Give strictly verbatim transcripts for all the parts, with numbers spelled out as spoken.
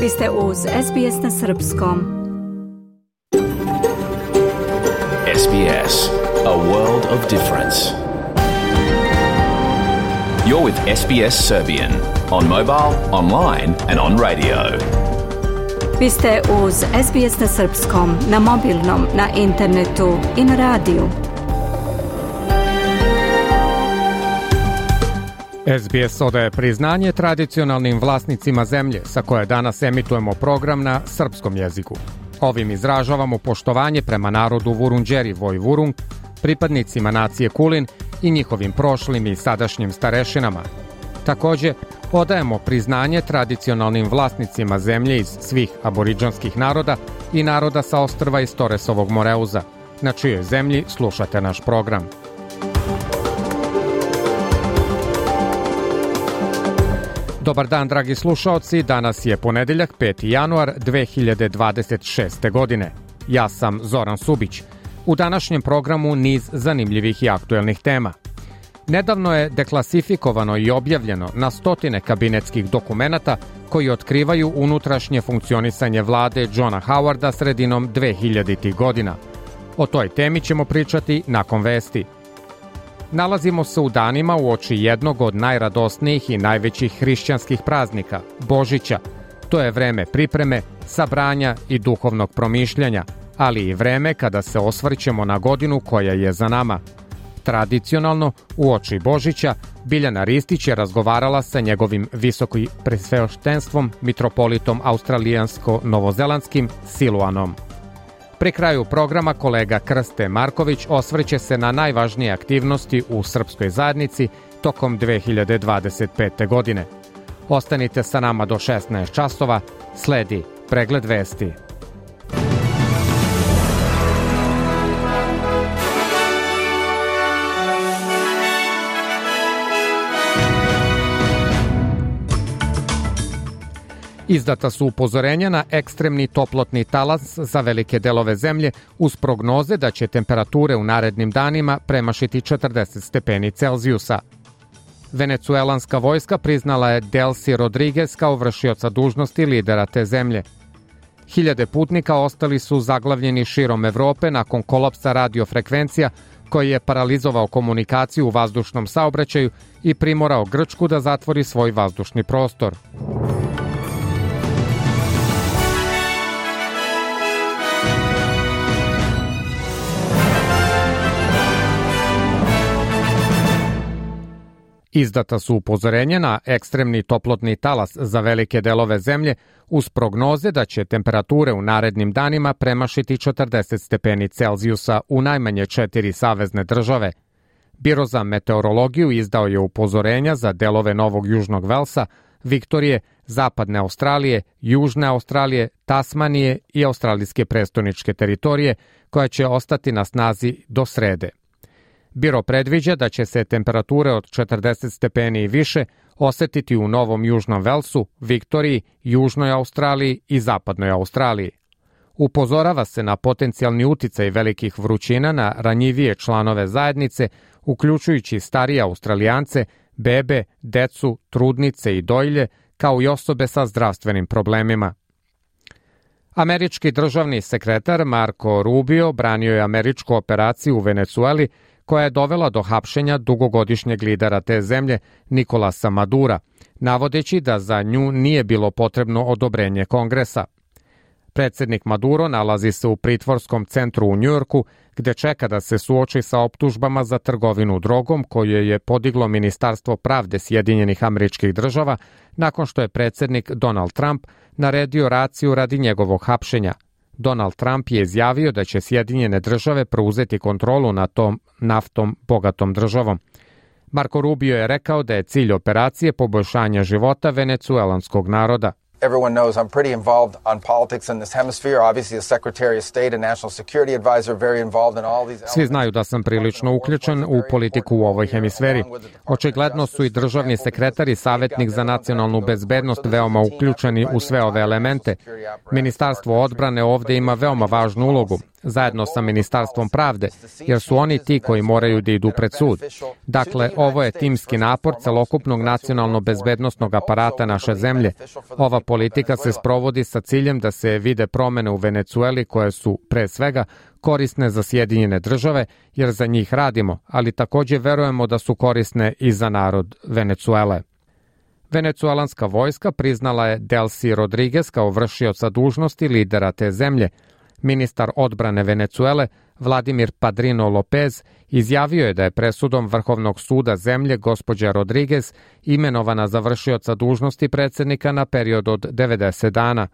Vi ste uz S B S na srpskom. S B S, a world of difference. You're with S B S Serbian on mobile, online and on radio. Vi ste uz S B S na srpskom, na mobilnom, na internetu i na radiju. S B S odaje priznanje tradicionalnim vlasnicima zemlje sa koje danas emitujemo program na srpskom jeziku. Ovim izražavamo poštovanje prema narodu Vurundjeri Vojvurung, pripadnicima nacije Kulin i njihovim prošlim i sadašnjim starešinama. Takođe, odajemo priznanje tradicionalnim vlasnicima zemlje iz svih aboridžanskih naroda i naroda sa ostrva iz Toresovog Moreuza, na čijoj zemlji slušate naš program. Dobar dan, dragi slušaoci, danas je ponedeljak, peti januar dve hiljade dvadeset šeste. godine. Ja sam Zoran Subić. U današnjem programu niz zanimljivih i aktuelnih tema. Nedavno je deklasifikovano i objavljeno na stotine kabinetskih dokumenata koji otkrivaju unutrašnje funkcionisanje vlade Johna Howarda sredinom dvehiljaditih godina. O toj temi ćemo pričati nakon vesti. Nalazimo se u danima uoči jednog od najradosnijih i najvećih hrišćanskih praznika, Božića. To je vreme pripreme, sabranja i duhovnog promišljanja, ali i vreme kada se osvrćemo na godinu koja je za nama. Tradicionalno, uoči Božića, Biljana Ristić je razgovarala sa njegovim visokim presveštenstvom, mitropolitom australijansko-novozelandskim Siluanom. Pri kraju programa kolega Krste Marković osvrće se na najvažnije aktivnosti u srpskoj zajednici tokom dve hiljade dvadeset pete. godine. Ostanite sa nama do šesnaest časova, sledi pregled vesti. Izdata su upozorenja na ekstremni toplotni talas za velike delove zemlje uz prognoze da će temperature u narednim danima premašiti četrdeset stepeni Celzijusa. Venecuelanska vojska priznala je Delcy Rodriguez kao vršioca dužnosti lidera te zemlje. Hiljade putnika ostali su zaglavljeni širom Evrope nakon kolapsa radiofrekvencija koji je paralizovao komunikaciju u vazdušnom saobraćaju i primorao Grčku da zatvori svoj vazdušni prostor. Izdata su upozorenja na ekstremni toplotni talas za velike delove zemlje uz prognoze da će temperature u narednim danima premašiti četrdeset stepeni Celzijusa u najmanje četiri savezne države. Biro za meteorologiju izdao je upozorenja za delove Novog Južnog Velsa, Viktorije, Zapadne Australije, Južne Australije, Tasmanije i australijske prestoničke teritorije koja će ostati na snazi do srede. Biro predviđa da će se temperature od četrdeset stepeni i više osetiti u Novom Južnom Velsu, Viktoriji, Južnoj Australiji i Zapadnoj Australiji. Upozorava se na potencijalni uticaj velikih vrućina na ranjivije članove zajednice, uključujući starije Australijance, bebe, decu, trudnice i dojilje, kao i osobe sa zdravstvenim problemima. Američki državni sekretar Marco Rubio branio je američku operaciju u Venecueli koja je dovela do hapšenja dugogodišnjeg lidera te zemlje, Nicolasa Madura, navodeći da za nju nije bilo potrebno odobrenje Kongresa. Predsednik Maduro nalazi se u pritvorskom centru u Njujorku, gde čeka da se suoči sa optužbama za trgovinu drogom koje je podiglo Ministarstvo pravde Sjedinjenih Američkih Država nakon što je predsednik Donald Trump naredio raciju radi njegovog hapšenja. Donald Trump je izjavio da će Sjedinjene Države preuzeti kontrolu nad tom naftom bogatom državom. Marco Rubio je rekao da je cilj operacije poboljšanje života venecuelanskog naroda. Everyone knows I'm pretty involved on politics in this hemisphere. Obviously, the Secretary of State and National Security Advisor very involved in all these. Svi znaju da sam prilično uključen u politiku u ovoj hemisferi. Očigledno su i državni sekretar i savjetnik za nacionalnu bezbednost veoma uključeni u sve ove elemente. Ministarstvo odbrane ovde ima veoma važnu ulogu. zajedno sa Ministarstvom pravde, jer su oni ti koji moraju da idu pred sud. Dakle, ovo je timski napor celokupnog nacionalno-bezbednostnog aparata naše zemlje. Ova politika se sprovodi sa ciljem da se vide promene u Venecueli koje su, pre svega, korisne za Sjedinjene države, jer za njih radimo, ali takođe verujemo da su korisne i za narod Venecuele. Venecuelanska vojska priznala je Delcy Rodriguez kao vršioca dužnosti lidera te zemlje. Ministar odbrane Venecuele, Vladimir Padrino Lopez, izjavio je da je presudom Vrhovnog suda zemlje gospođa Rodriguez imenovana za vršioca dužnosti predsednika na period od devedeset dana.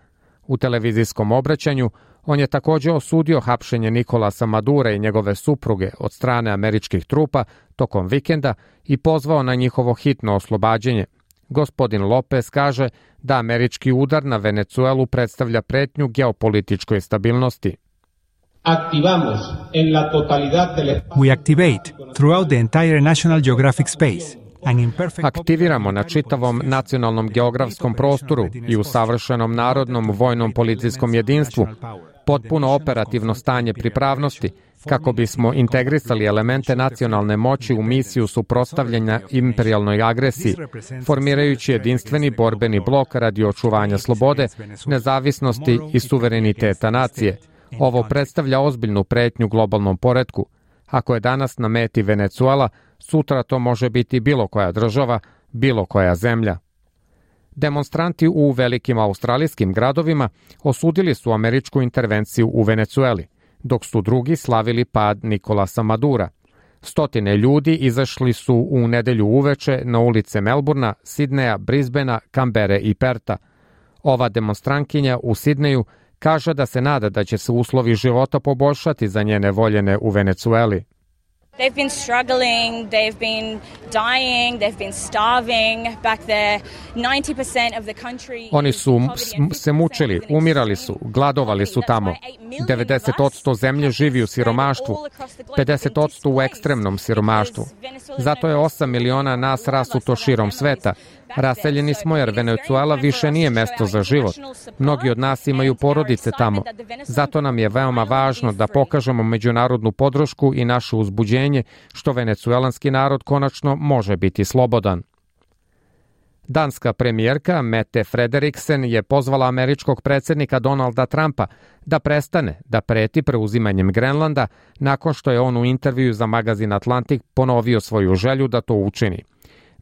U televizijskom obraćanju on je takođe osudio hapšenje Nikolasa Madura i njegove supruge od strane američkih trupa tokom vikenda i pozvao na njihovo hitno oslobađanje. Gospodin Lopez kaže da američki udar na Venecuelu predstavlja pretnju geopolitičkoj stabilnosti. We activate throughout the entire National Geographic space. Aktiviramo na čitavom nacionalnom geografskom prostoru i u savršenom narodnom vojnom policijskom jedinstvu potpuno operativno stanje pripravnosti kako bismo integrisali elemente nacionalne moći u misiju suprotstavljanja imperijalnoj agresiji, formirajući jedinstveni borbeni blok radi očuvanja slobode, nezavisnosti i suvereniteta nacije. Ovo predstavlja ozbiljnu pretnju globalnom poretku. Ako je danas na meti Venecuela, sutra to može biti bilo koja država, bilo koja zemlja. Demonstranti u velikim australijskim gradovima osudili su američku intervenciju u Venecueli, dok su drugi slavili pad Nikolasa Madura. Stotine ljudi izašli su u nedelju uveče na ulice Melburna, Sidneja, Brisbanea, Kambere i Perta. Ova demonstrantkinja u Sidneju kaže da se nada da će se uslovi života poboljšati za njene voljene u Venecueli. They've been struggling, they've been dying, they've been starving back there. ninety percent of the country. Oni su se mučili, umirali su, gladovali su tamo. devedeset posto zemlje živi u siromaštvu, pedeset posto u ekstremnom siromaštvu. Zato je osam miliona nas rasuto širom sveta. Raseljeni smo jer Venecuela više nije mesto za život. Mnogi od nas imaju porodice tamo. Zato nam je veoma važno da pokažemo međunarodnu podršku i naše uzbuđenje što venecuelanski narod konačno može biti slobodan. Danska premijerka Mette Frederiksen je pozvala američkog predsednika Donalda Trumpa da prestane da preti preuzimanjem Grenlanda nakon što je on u intervju za magazin Atlantic ponovio svoju želju da to učini.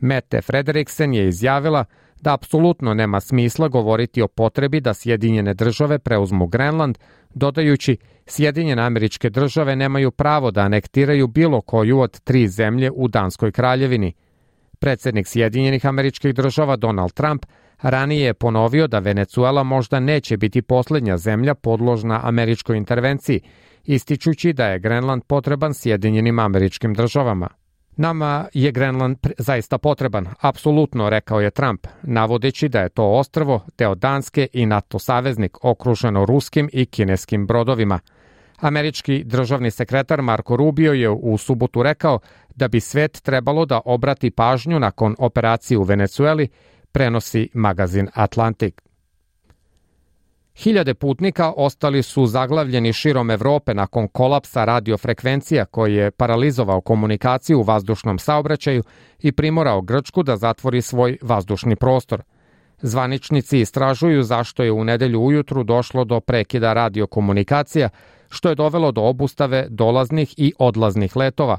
Mette Frederiksen je izjavila da apsolutno nema smisla govoriti o potrebi da Sjedinjene države preuzmu Grenland, dodajući Sjedinjene Američke Države nemaju pravo da anektiraju bilo koju od tri zemlje u Danskoj kraljevini. Predsednik Sjedinjenih Američkih Država Donald Trump ranije je ponovio da Venecuela možda neće biti poslednja zemlja podložna američkoj intervenciji, ističući da je Grenland potreban Sjedinjenim Američkim Državama. Nama je Grenland zaista potreban, apsolutno, rekao je Trump, navodeći da je to ostrvo, deo Danske i NATO saveznik, okruženo ruskim i kineskim brodovima. Američki državni sekretar Marco Rubio je u subotu rekao da bi svet trebalo da obrati pažnju nakon operacije u Venecueli, prenosi magazin Atlantic. Hiljade putnika ostali su zaglavljeni širom Evrope nakon kolapsa radiofrekvencija koji je paralizovao komunikaciju u vazdušnom saobraćaju i primorao Grčku da zatvori svoj vazdušni prostor. Zvaničnici istražuju zašto je u nedelju ujutru došlo do prekida radiokomunikacija, što je dovelo do obustave dolaznih i odlaznih letova.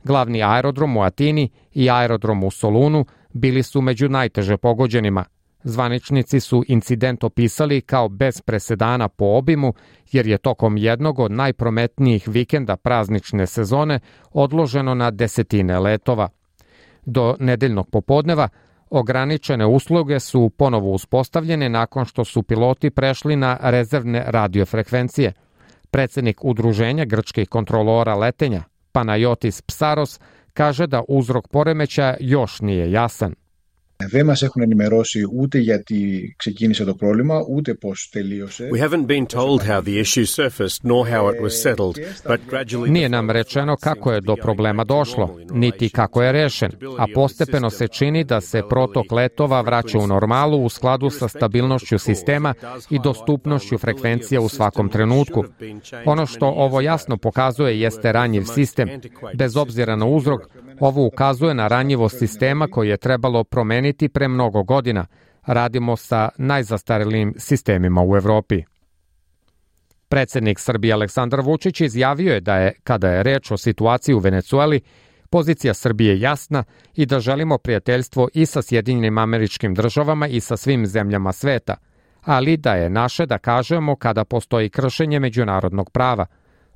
Glavni aerodrom u Atini i aerodrom u Solunu bili su među najteže pogođenima. Zvaničnici su incident opisali kao bez presedana po obimu, jer je tokom jednog od najprometnijih vikenda praznične sezone odloženo na desetine letova. Do nedeljnog popodneva ograničene usluge su ponovo uspostavljene nakon što su piloti prešli na rezervne radiofrekvencije. Predsednik Udruženja grčkih kontrolora letenja, Panayotis Psaros, kaže da uzrok poremećaja još nije jasan. Δεν μας έχουν ενημερώσει ούτε γιατί ξεκίνησε το πρόβλημα, ούτε πώς τελείωσε. We haven't been told how the issue surfaced nor how it was settled, but gradually... Nije nam rečeno kako je do problema došlo, niti kako je rešen, a postepeno se čini da se protok letova vraća u normalu u skladu sa stabilnošću sistema i dostupnošću frekvencija u svakom trenutku. Ono što ovo jasno pokazuje jeste ranjiv sistem. Bez obzira na uzrok, ovo ukazuje na ranjivost sistema koji je trebalo promeniti pre mnogo godina. Radimo sa najzastarelim sistemima u Evropi. Predsednik Srbije Aleksandar Vučić izjavio je da je, kada je reč o situaciji u Venecueli, pozicija Srbije jasna i da želimo prijateljstvo i sa Sjedinjenim Američkim Državama i sa svim zemljama sveta, ali da je naše da kažemo kada postoji kršenje međunarodnog prava.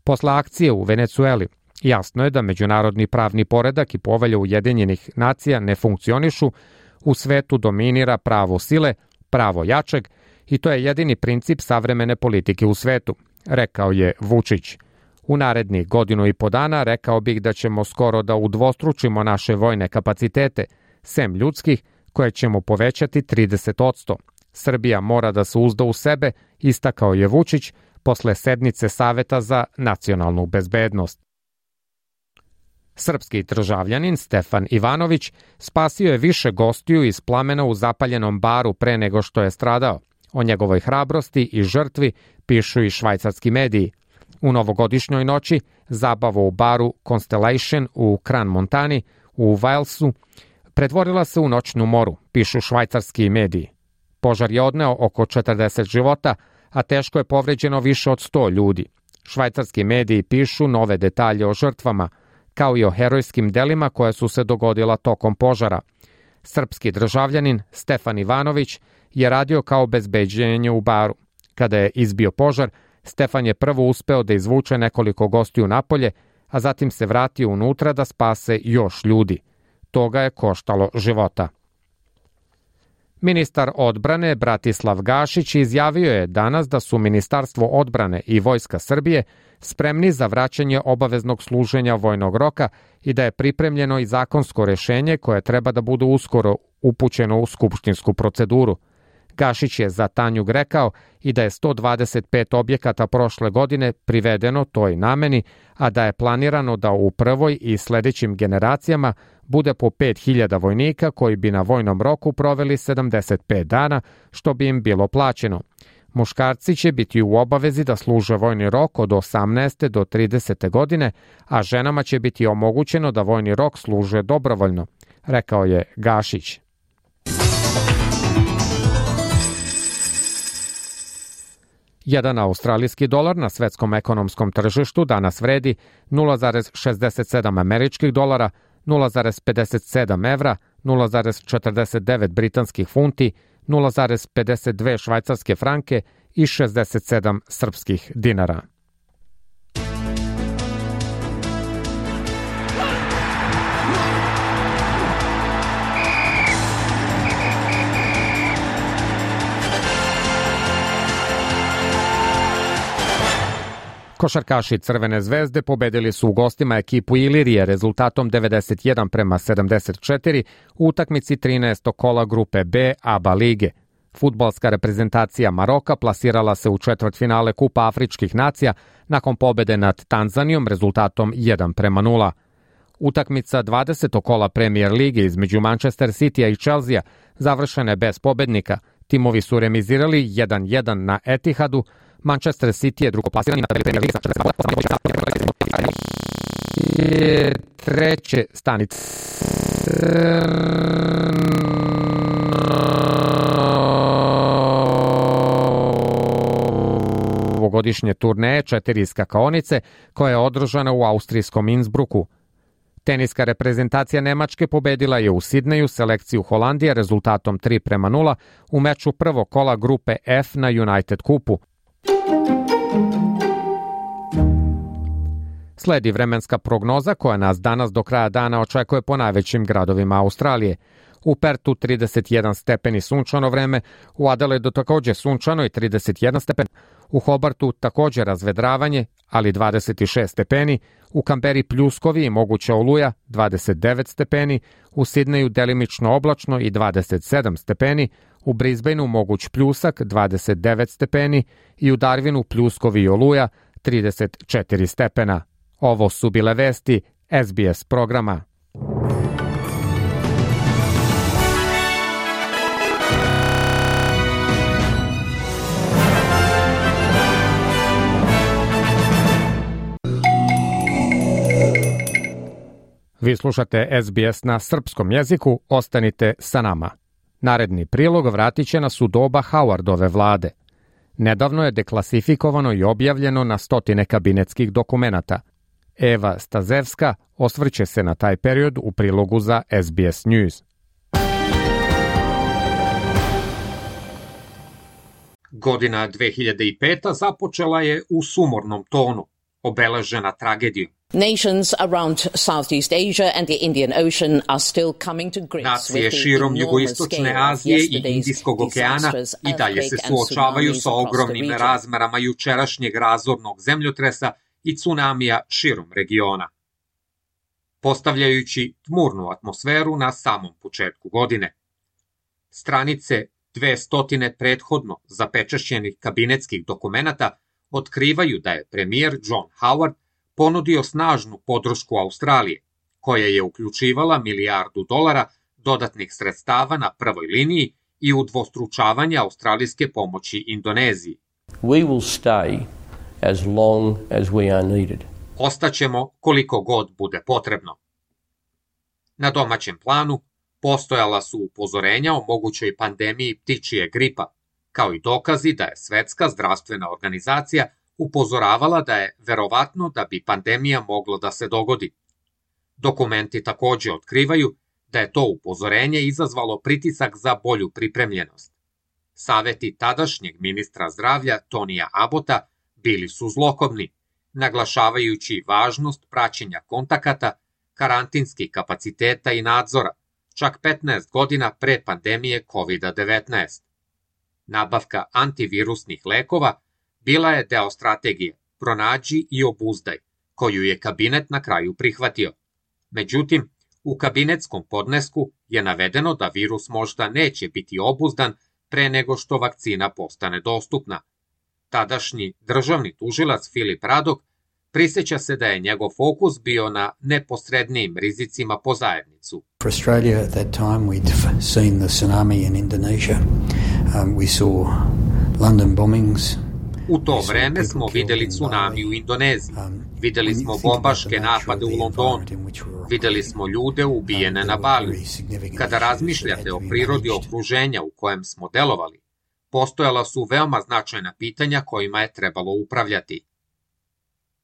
Posle akcije u Venecueli, jasno je da međunarodni pravni poredak i povelja Ujedinjenih nacija ne funkcionišu, u svetu dominira pravo sile, pravo jačeg i to je jedini princip savremene politike u svetu, rekao je Vučić. U narednih godinu i po dana rekao bih da ćemo skoro da udvostručimo naše vojne kapacitete, sem ljudskih, koje ćemo povećati trideset posto. Srbija mora da se uzda u sebe, istakao je Vučić posle sednice Saveta za nacionalnu bezbednost. Srpski državljanin Stefan Ivanović spasio je više gostiju iz plamena u zapaljenom baru pre nego što je stradao. O njegovoj hrabrosti i žrtvi pišu i švajcarski mediji. U novogodišnjoj noći zabava u baru Constellation u Kran Montani u Walesu pretvorila se u noćnu moru, pišu švajcarski mediji. Požar je odneo oko četrdeset života, a teško je povređeno više od sto ljudi. Švajcarski mediji pišu nove detalje o žrtvama, kao i o herojskim delima koja su se dogodila tokom požara. Srpski državljanin Stefan Ivanović je radio kao bezbeđenje u baru. Kada je izbio požar, Stefan je prvo uspeo da izvuče nekoliko gostiju napolje, a zatim se vratio unutra da spase još ljudi. To ga je koštalo života. Ministar odbrane Bratislav Gašić izjavio je danas da su Ministarstvo odbrane i Vojska Srbije spremni za vraćanje obaveznog služenja vojnog roka i da je pripremljeno i zakonsko rešenje koje treba da bude uskoro upućeno u skupštinsku proceduru. Gašić je za Tanjug rekao i da je sto dvadeset pet objekata prošle godine privedeno toj nameni, a da je planirano da u prvoj i sledećim generacijama bude po pet hiljada vojnika koji bi na vojnom roku proveli sedamdeset pet dana, što bi im bilo plaćeno. Muškarci će biti u obavezi da služe vojni rok od osamnaeste do tridesete godine, a ženama će biti omogućeno da vojni rok služe dobrovoljno, rekao je Gašić. Jedan australijski dolar na svetskom ekonomskom tržištu danas vredi nula zarez šezdeset sedam američkih dolara, nula zarez pedeset sedam evra, nula zarez četrdeset devet britanskih funti, nula zarez pedeset dve švajcarske franke i šezdeset sedam srpskih dinara. Košarkaši Crvene zvezde pobedili su u gostima ekipu Ilirije rezultatom devedeset jedan prema sedamdeset četiri u utakmici trinaestog kola grupe B A B A lige. Fudbalska reprezentacija Maroka plasirala se u četvrtfinale Kupa Afričkih nacija nakon pobede nad Tanzanijom rezultatom jedan prema nula. Utakmica dvadesetog kola Premier lige između Manchester Citya i Chelsea završena je bez pobednika. Timovi su remizirali jedan jedan na Etihadu. Manchester City je drugoplasirani na tabeli Premier lige sa četrdeset bodova. Treće stanice ovogodišnje turneje četiri skakaonice koja je održana u austrijskom Innsbrucku. Teniska reprezentacija Nemačke pobedila je u Sidneju selekciju Holandije rezultatom tri prema nula u meču prvog kola grupe F na United kupu. Sledi vremenska prognoza koja nas danas do kraja dana očekuje po najvećim gradovima Australije. U Pertu trideset jedan stepeni sunčano vreme, u Adelaidu takođe sunčano i trideset jedan stepen, u Hobartu takođe razvedravanje, ali dvadeset šest stepeni, u Kamberi pljuskovi i moguća oluja dvadeset devet stepeni, u Sidneju delimično oblačno i dvadeset sedam stepeni, u Brisbaneu moguć pljusak dvadeset devet stepeni i u Darwinu pljuskovi i oluja trideset četiri stepena. Ovo su bile vesti S B S programa. Vi slušate S B S na srpskom jeziku, ostanite sa nama. Naredni prilog vratit će nas u doba Howardove vlade. Nedavno je deklasifikovano i objavljeno na stotine kabinetskih dokumenata. Eva Stazevska osvrće se na taj period u prilogu za S B S News. Godina dve hiljade peta započela je u sumornom tonu, obeležena tragedijom. Nations around Southeast Asia and the Indian Ocean are still coming to grips Nacije širom jugoistočne Azije i Indijskog okeana i dalje se suočavaju sa ogromnim razmerama jučerašnjeg razornog zemljotresa i tsunamija širom regiona, postavljajući tmurnu atmosferu na samom početku godine. Stranice dvesta prethodno zapečašćenih kabinetskih dokumenata otkrivaju da je premijer John Howard ponudio snažnu podršku Australije, koja je uključivala milijardu dolara dodatnih sredstava na prvoj liniji i udvostručavanje australijske pomoći Indoneziji. We will stay as long as we are needed. Ostaćemo koliko god bude potrebno. Na domaćem planu postojala su upozorenja o mogućoj pandemiji ptičije gripa, kao i dokazi da je Svetska zdravstvena organizacija upozoravala da je verovatno da bi pandemija mogla da se dogodi. Dokumenti takođe otkrivaju da je to upozorenje izazvalo pritisak za bolju pripremljenost. Saveti tadašnjeg ministra zdravlja Tonija Abbota bili su zlokobni, naglašavajući važnost praćenja kontakata, karantinskih kapaciteta i nadzora, čak petnaest godina pre pandemije kovid devetnaest. Nabavka antivirusnih lekova bila je deo strategije pronađi i obuzdaj, koju je kabinet na kraju prihvatio. Međutim, u kabinetskom podnesku je navedeno da virus možda neće biti obuzdan pre nego što vakcina postane dostupna. Tadašnji državni tužilac Filip Radok priseća se da je njegov fokus bio na neposrednijim rizicima po zajednicu. For Australia at that time we'd seen the tsunami in Indonesia. Um, we saw London bombings. U to vreme smo videli tsunami u Indoneziji, videli smo bombaške napade u Londonu, videli smo ljude ubijene na Baliju. Kada razmišljate o prirodi okruženja u kojem smo delovali, postojala su veoma značajna pitanja kojima je trebalo upravljati.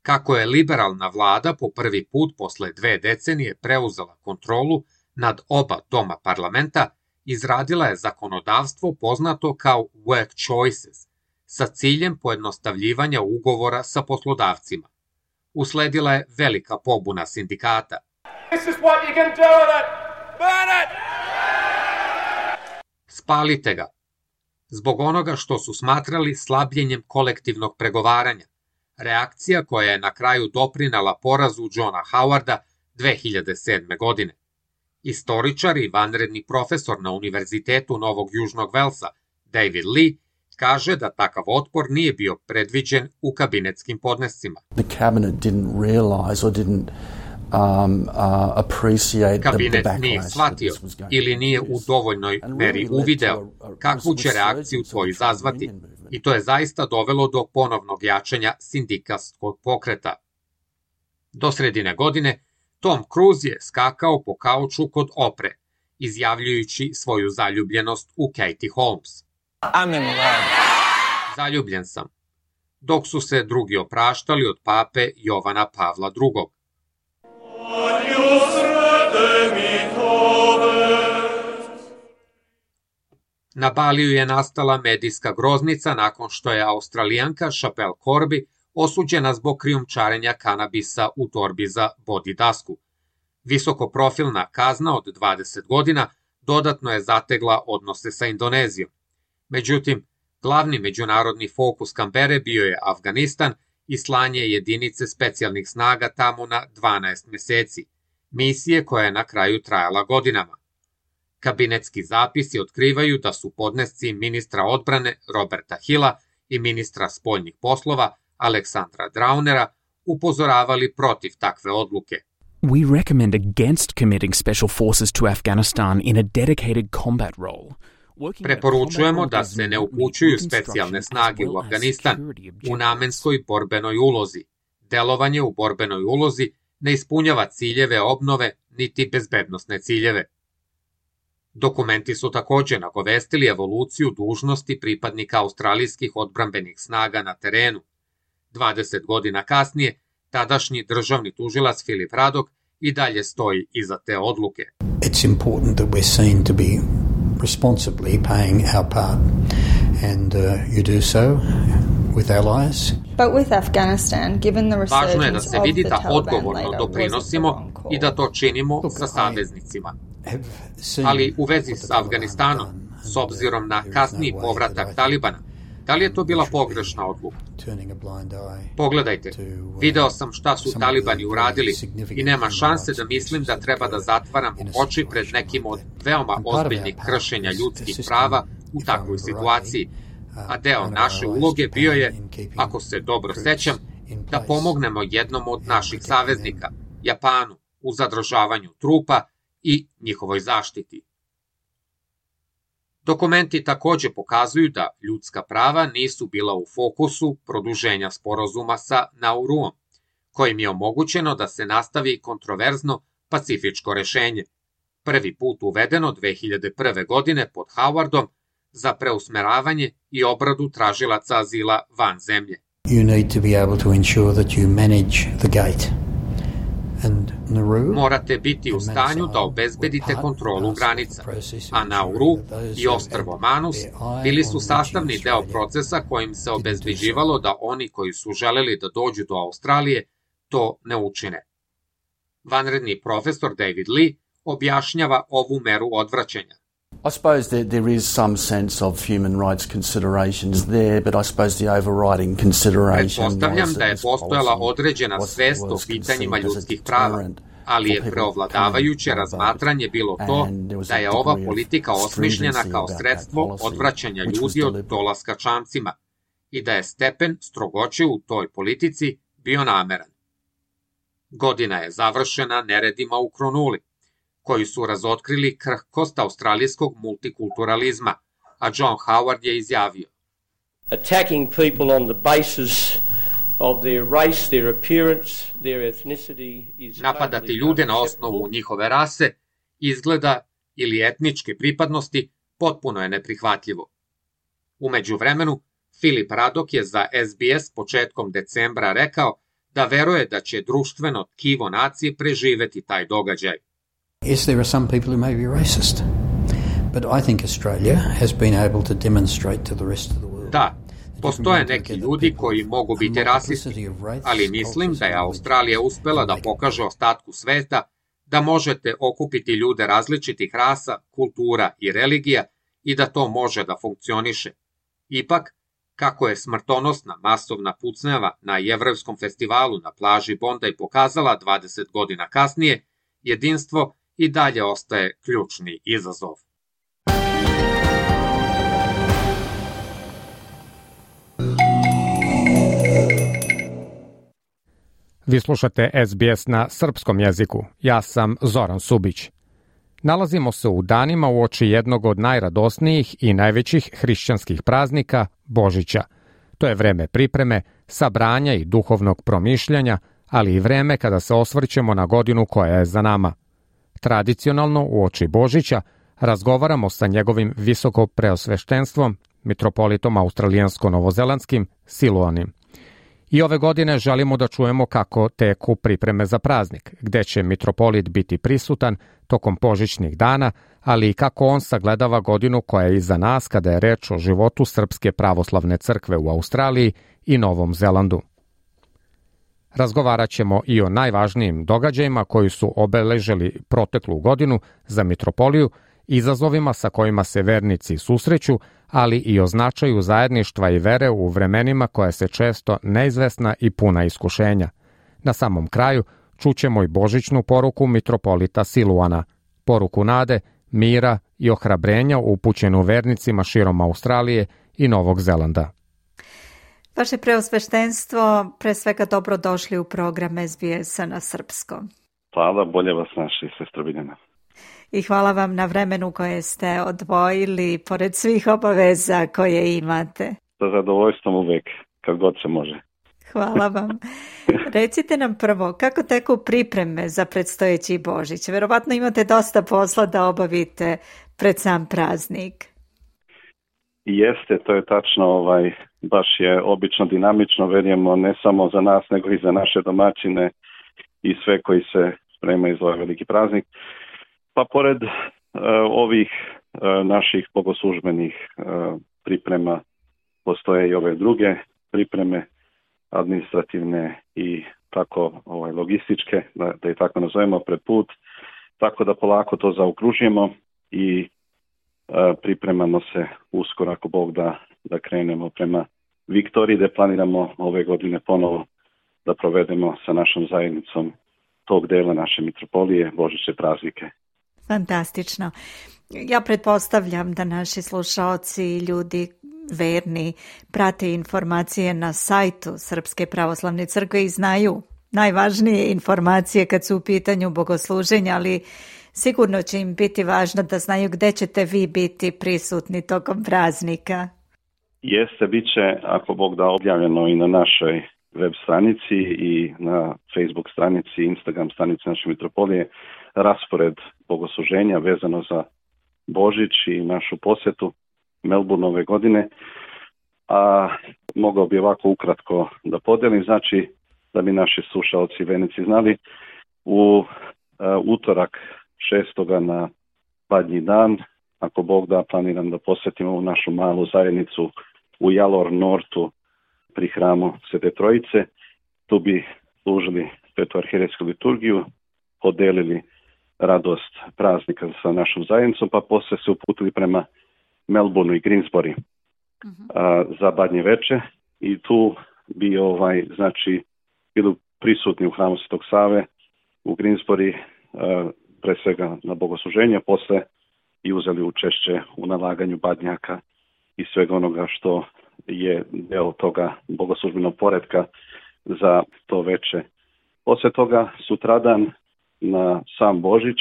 Kako je liberalna vlada po prvi put posle dve decenije preuzela kontrolu nad oba doma parlamenta, izradila je zakonodavstvo poznato kao Work Choices, sa ciljem pojednostavljivanja ugovora sa poslodavcima. Usledila je velika pobuna sindikata. This is what you can do with it. Burn it! Spalite ga. Zbog onoga što su smatrali slabljenjem kolektivnog pregovaranja, reakcija koja je na kraju doprinela porazu Johna Howarda dve hiljade sedme. godine. Istoričar i vanredni profesor na Univerzitetu Novog Južnog Velsa, David Lee, kaže da takav otpor nije bio predviđen u kabinetskim podnescima. The cabinet didn't realize or didn't um, uh, appreciate Kabinet the, the nije shvatio ili nije u dovoljnoj meri uvideo kakvu će reakciju to izazvati i to je zaista dovelo do ponovnog jačanja sindikatskog pokreta. Do sredine godine Tom Cruise je skakao po kauču kod Opre, izjavljujući svoju zaljubljenost u Katie Holmes. I'm in love. Zaljubljen sam. Dok su se drugi opraštali od pape Jovana Pavla drugog. Na Baliju je nastala medijska groznica nakon što je Australijanka Chapelle Corby osuđena zbog krijumčarenja kanabisa u torbi za body dasku. Visokoprofilna kazna od dvadeset godina dodatno je zategla odnose sa Indonezijom. Međutim, glavni međunarodni fokus Kambere bio je Afganistan i slanje jedinice specijalnih snaga tamo na dvanaest meseci, misije koja je na kraju trajala godinama. Kabinetski zapisi otkrivaju da su podnesci ministra odbrane Roberta Hilla i ministra spoljnih poslova Aleksandra Draunera upozoravali protiv takve odluke. We recommend against committing special forces to Afghanistan in a dedicated combat role. Preporučujemo da se ne upućuju specijalne snage u Afganistan u namenskoj borbenoj ulozi. Delovanje u borbenoj ulozi ne ispunjava ciljeve obnove niti bezbednosne ciljeve. Dokumenti su također nagovestili evoluciju dužnosti pripadnika australijskih odbrambenih snaga na terenu. dvadeset godina kasnije, tadašnji državni tužilac Philip Ruddock i dalje stoji iza te odluke. It's important that we're seen to be responsibly paying our part, and uh, you do so with allies. But with Afghanistan, given the resurgence Važno je da se of vidi the da Taliban odgovorno later, doprinosimo was it the wrong call? i da to činimo sa saveznicima. Ali u vezi s Afganistanom, s obzirom na kasniji povratak Talibana, da li je to bila pogrešna odluka? Pogledajte, video sam šta su Talibani uradili i nema šanse da mislim da treba da zatvaram oči pred nekim od veoma ozbiljnih kršenja ljudskih prava u takvoj situaciji, a deo naše uloge bio je, ako se dobro sećam, da pomognemo jednom od naših saveznika, Japanu, u zadržavanju trupa i njihovoj zaštiti. Dokumenti također pokazuju da ljudska prava nisu bila u fokusu produženja sporazuma sa Nauruom, kojim je omogućeno da se nastavi kontroverzno pacifičko rešenje, prvi put uvedeno dve hiljade prve. godine pod Howardom za preusmeravanje i obradu tražilaca azila van zemlje. You need to be able to ensure that you manage the gate. And Nauru, morate biti u stanju da obezbedite kontrolu granica, a Nauru i ostrvo Manus bili su sastavni deo procesa kojim se obezbeđivalo da oni koji su želeli da dođu do Australije to ne učine. Vanredni profesor David Lee objašnjava ovu meru odvraćanja. I suppose there, there is some sense of human rights considerations there, but I suppose the overriding consideration Pretpostavljam da je postojala određena svest o pitanjima ljudskih prava, ali je preovladavajuće razmatranje bilo to da je ova politika osmišljena kao sredstvo odvraćanja ljudi od dolaska čamcima i da je stepen strogoće u toj politici bio nameran. Godina je završena neredima u Kronuli, koji su razotkrili krhkost australijskog multikulturalizma, a John Howard je izjavio: Attacking people on the basis of their race, their appearance, their ethnicity is napadati ljude na osnovu njihove rase, izgleda ili etničke pripadnosti potpuno je neprihvatljivo. U međuvremenu, Philip Ruddock je za S B S početkom decembra rekao da veruje da će društveno tkivo nacije preživeti taj događaj. Yes, there are some people who may be racist, but I think Australia has been able to demonstrate to the rest of the world. Da, postoje neki ljudi koji mogu biti rasisti, ali mislim da je Australija uspela da pokaže ostatku sveta da možete okupiti ljude različitih rasa, kultura i religija i da to može da funkcioniše. Ipak, kako je smrtonosna masovna pucnjava na jevrejskom festivalu na plaži Bondi pokazala dvadeset godina kasnije, jedinstvo i dalje ostaje ključni izazov. Vi slušate S B S na srpskom jeziku. Ja sam Zoran Subić. Nalazimo se u danima uoči jednog od najradosnijih i najvećih hrišćanskih praznika, Božića. To je vreme pripreme, sabranja i duhovnog promišljanja, ali i vreme kada se osvrćemo na godinu koja je za nama. Tradicionalno, uoči Božića, razgovaramo sa njegovim visoko preosveštenstvom, mitropolitom australijansko-novozelandskim Siluanim. I ove godine želimo da čujemo kako teku pripreme za praznik, gde će mitropolit biti prisutan tokom božićnih dana, ali i kako on sagledava godinu koja je iza nas kada je reč o životu Srpske pravoslavne crkve u Australiji i Novom Zelandu. Razgovarat ćemo i o najvažnijim događajima koji su obeležili proteklu godinu za mitropoliju izazovima sa kojima se vernici susreću, ali i o značaju zajedništva i vere u vremenima koja se često neizvesna i puna iskušenja. Na samom kraju čućemo i božićnu poruku mitropolita Siluana, poruku nade, mira i ohrabrenja upućenu vernicima širom Australije i Novog Zelanda. Vaše preosveštenstvo, pre svega dobrodošli u program S B S-a na srpskom. Hvala, bolje vas naši, sestra Biljana. I hvala vam na vremenu koje ste odvojili, pored svih obaveza koje imate. Sa zadovoljstvom uvek, kad god se može. Hvala vam. Recite nam prvo, kako teku pripreme za predstojeći Božić? Verovatno imate dosta posla da obavite pred sam praznik. Jeste, to je tačno, ovaj, baš je obično dinamično, verujemo ne samo za nas, nego i za naše domaćine i sve koji se spremaju za ovaj veliki praznik. Pa pored uh, ovih uh, naših bogoslužbenih uh, priprema postoje i ove druge pripreme, administrativne i tako ovaj, logističke, da, da je tako nazovemo, pred put, tako da polako to zaokružimo i uh, pripremamo se uskoro, ako Bog da, da krenemo prema Viktoriji, da planiramo ove godine ponovo da provedemo sa našom zajednicom tog dela naše mitropolije božićne praznike. Fantastično. Ja pretpostavljam da naši slušaoci i ljudi verni prate informacije na sajtu Srpske pravoslavne crkve i znaju najvažnije informacije kad su u pitanju bogosluženja, ali sigurno će im biti važno da znaju gde ćete vi biti prisutni tokom praznika. Jeste, bit će, ako Bog da, objavljeno i na našoj web stranici i na Facebook stranici, Instagram stranici naše mitropolije, raspored bogosluženja vezano za Božić i našu posjetu Melbourne ove godine. A mogao bi ovako ukratko da podelim, znači da bi naši slušalci i vernici znali, u uh, utorak šestoga na Badnji dan, ako Bog da, planiram da posjetimo ovu našu malu zajednicu u Jalor Nortu pri hramu Svete Trojice. Tu bi služili Svetu arhijerejsku liturgiju, podelili radost praznika sa našom zajednicom, pa posle se uputili prema Melbourneu i Greensbury uh-huh. a, za Badnje veče i tu bi ovaj znači bili prisutni u hramu Svetog Save u Greensbury, a, pre svega na bogosluženje, posle i uzeli učešće u nalaganju badnjaka i svega onoga što je deo toga bogoslužbenog poretka za to veče. Posle toga sutradan na sam Božić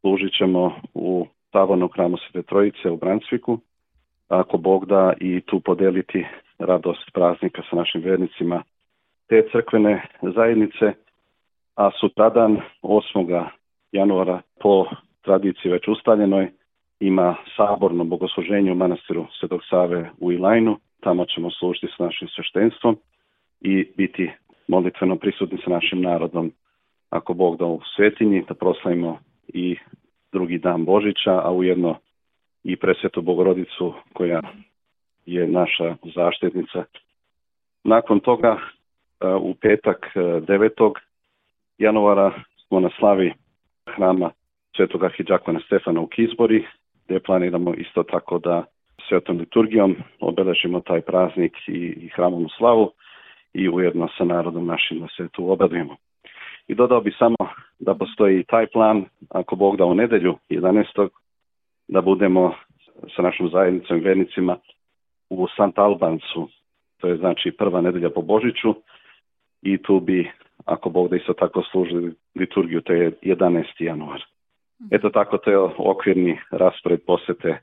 služit ćemo u tavornom hramu Svete Trojice u Brunswicku, ako Bog da, i tu podeliti radost praznika sa našim vernicima te crkvene zajednice, a sutradan osmog januara po tradiciji već ustaljenoj ima saborno bogosluženje u manastiru Svetog Save u Ilajnu. Tamo ćemo služiti s našim sveštenstvom i biti molitveno prisutni sa našim narodom, ako Bog da, u svetinji, da proslavimo i drugi dan Božića, a ujedno i presvetu Bogorodicu koja je naša zaštitnica. Nakon toga u petak devetog januara smo na slavi hrama Svetog arhidžakona Stefana u Kisbori, gdje planiramo isto tako da svetom liturgijom obeležimo taj praznik i, i hramovnu slavu i ujedno sa narodom našim da se tu obradujemo. I dodao bi samo da postoji taj plan, ako Bog da, u nedelju jedanaestog da budemo sa našom zajednicom i vernicima u Sant Albansu, to je znači prva nedelja po Božiću, i tu bi, ako Bog da, isto tako služili liturgiju, to je jedanaesti januar. Eto tako, to je okvirni raspored posete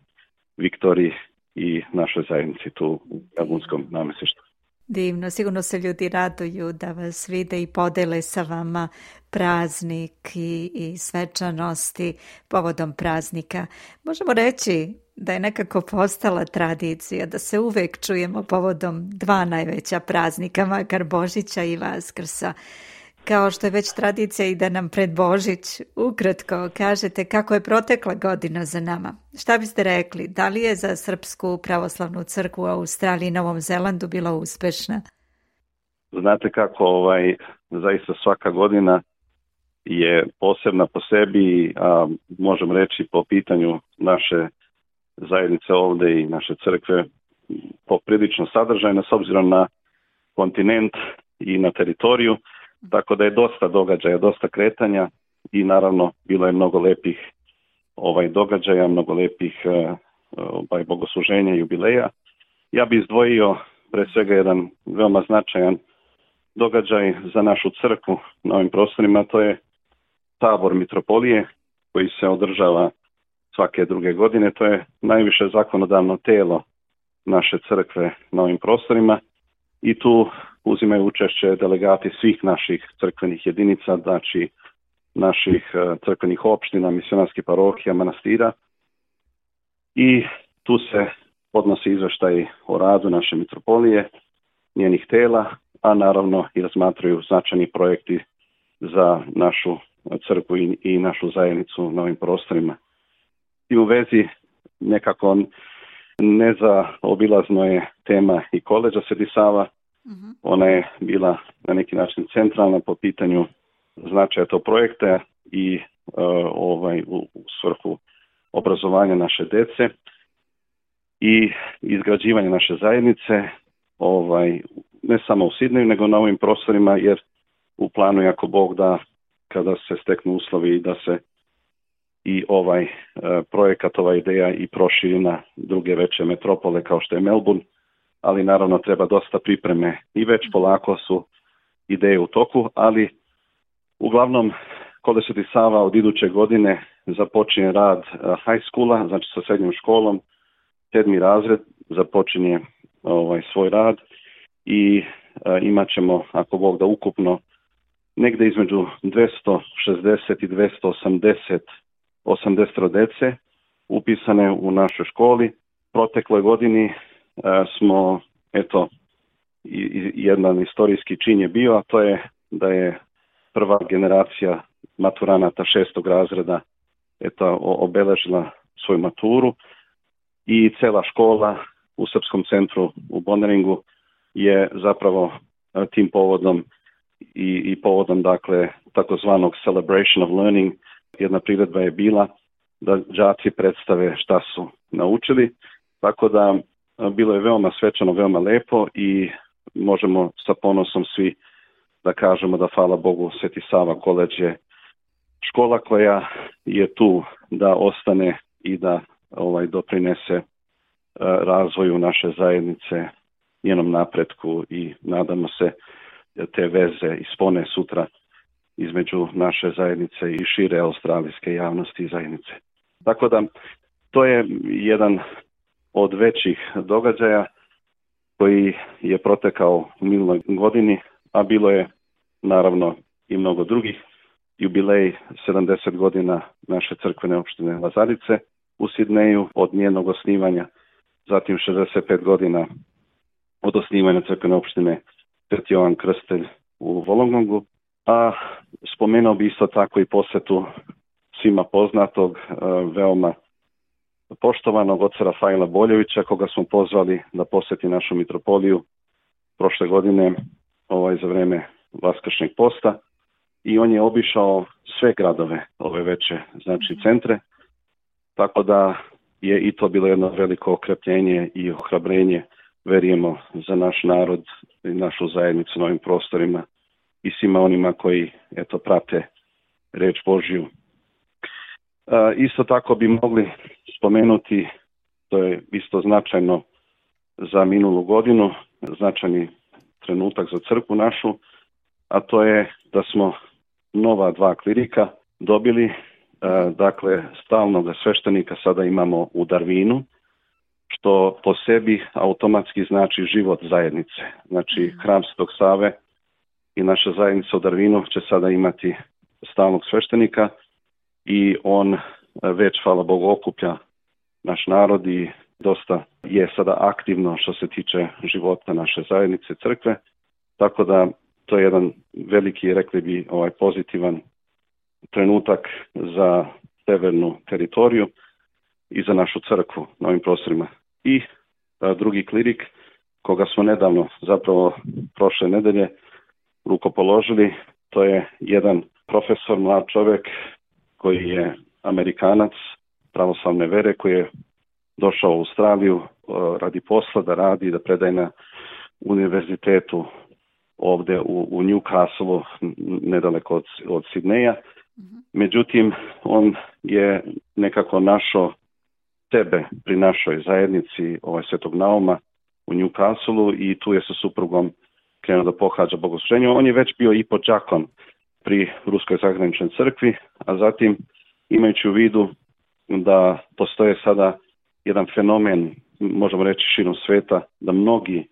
Viktoriji i našoj zajednici tu u Melbourneskom namestištu. Divno, sigurno se ljudi raduju da vas vide i podele sa vama praznik i, i svečanosti povodom praznika. Možemo reći da je nekako postala tradicija da se uvek čujemo povodom dva najveća praznika, makar Božića i Vaskrsa. Kao što je već tradicija i da nam pred Božić ukratko kažete kako je protekla godina za nama. Šta biste rekli? Da li je za Srpsku pravoslavnu crkvu u Australiji i Novom Zelandu bila uspešna? Znate kako, ovaj, zaista svaka godina je posebna po sebi, a možemo reći po pitanju naše zajednice ovdje i naše crkve poprilično sadržajna s obzirom na kontinent i na teritoriju, tako da je dosta događaja, dosta kretanja i naravno bilo je mnogo lepih ovaj događaja, mnogo lepih ovaj, bogosluženja i jubileja. Ja bih izdvojio pre svega jedan veoma značajan događaj za našu crkvu na ovim prostorima, to je tabor mitropolije koji se održava svake druge godine. To je najviše zakonodavno telo naše crkve na ovim prostorima i tu uzimaju učešće delegati svih naših crkvenih jedinica, znači naših crkvenih opština, misionarskih parohija, manastira i tu se podnosi izveštaj o radu naše mitropolije, njenih tela, a naravno i razmatraju značajni projekti za našu crkvu i, i našu zajednicu na ovim prostorima. I u vezi nekako nezaobilazno je tema i koledža Sveti Sava. Mm-hmm. Ona je bila na neki način centralna po pitanju značaja tog projekta i uh, ovaj, u, u svrhu obrazovanja naše dece i izgrađivanja naše zajednice, ovaj, ne samo u Sidneju, nego na ovim prostorima, jer u planu je ako Bog da, kada se steknu uslovi da se i ovaj e, projekat, ova ideja i proširi na druge veće metropole kao što je Melbourne, ali naravno treba dosta pripreme i već polako su ideje u toku, ali uglavnom Koledž Sveti Sava od iduće godine započinje rad high schoola, znači sa srednjom školom, sedmi razred započinje ovaj, svoj rad i e, imat ćemo, ako Bog da, ukupno negde između dvesta šezdeset i dvesta osamdeset osamdeset dece upisane u našoj školi. Protekloj godini e, smo, eto, i, i jedan istorijski čin je bio, a to je da je prva generacija maturanata šestog razreda eto, obeležila svoju maturu i cela škola u Srpskom centru u Bonneringu je zapravo tim povodom i, i povodom dakle takozvanog celebration of learning, jedna priredba je bila da đaci predstave šta su naučili, tako da bilo je veoma svečano, veoma lepo i možemo sa ponosom svi da kažemo da hvala Bogu Sveti Sava koledž je škola koja je tu da ostane i da ovaj doprinese razvoju naše zajednice, njenom napretku i nadamo se te veze ispone sutra između naše zajednice i šire australijske javnosti i zajednice. Tako da to je jedan od većih događaja koji je protekao u minuloj godini, a bilo je naravno i mnogo drugih. Jubilej sedamdeset godina naše crkvene opštine Lazarice u Sidneju od njenog osnivanja, zatim šezdeset pet godina od osnivanja crkvene opštine Sveti Jovan Krstelj u Wollongongu, a spomenuo bi isto tako i posetu svima poznatog, veoma poštovanog oca Rafaela Boljevića, koga smo pozvali da poseti našu mitropoliju prošle godine ovaj, za vreme Vaskršnjeg posta i on je obišao sve gradove ove veće, znači centre, tako da je i to bilo jedno veliko okrepljenje i ohrabrenje, verujemo, za naš narod i našu zajednicu na ovim prostorima i svima onima koji eto prate reč Božju. E, isto tako bi mogli spomenuti, to je isto značajno za minulu godinu, značajni trenutak za crkvu našu, a to je da smo nova dva klirika dobili, e, dakle stalnog sveštenika sada imamo u Darwinu, što po sebi automatski znači život zajednice. Znači hram Svetog Save i naša zajednica u Darwinu će sada imati stalnog sveštenika i on već, hvala Bogu, okuplja naš narod i dosta je sada aktivno što se tiče života naše zajednice crkve, tako da to je jedan veliki, rekli bi, ovaj pozitivan trenutak za severnu teritoriju i za našu crkvu na ovim prostorima. I a, drugi klirik, koga smo nedavno, zapravo prošle nedelje, rukopoložili, to je jedan profesor, mlad čovjek koji je Amerikanac pravoslavne vere, koji je došao u Australiju radi posla, da radi, da predaje na univerzitetu ovdje u, u Newcastle, nedaleko od, od Sidneja. Međutim, on je nekako našao sebe pri našoj zajednici ovaj Svetog Nauma u Newcastle i tu je sa suprugom krenuo da pohađa bogosluženje. On je već bio i podžakon pri Ruskoj zagraničnoj crkvi, a zatim imajući u vidu da postoje sada jedan fenomen, možemo reći širom sveta, da mnogi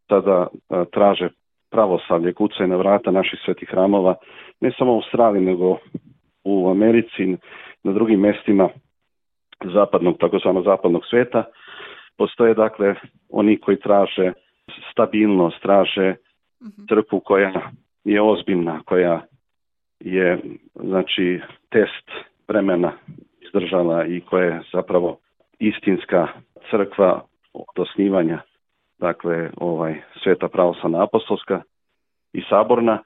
sada a, traže pravoslavlje, kucaju na vrata naših svetih hramova, ne samo u Australiji, nego u Americi, na drugim mjestima zapadnog, takozvano zapadnog sveta. Postoje dakle oni koji traže stabilnost, traže crkvu koja je ozbiljna, koja je znači test vremena izdržala i koja je zapravo istinska crkva od osnivanja, dakle ovaj Sveta pravoslavna apostolska i saborna,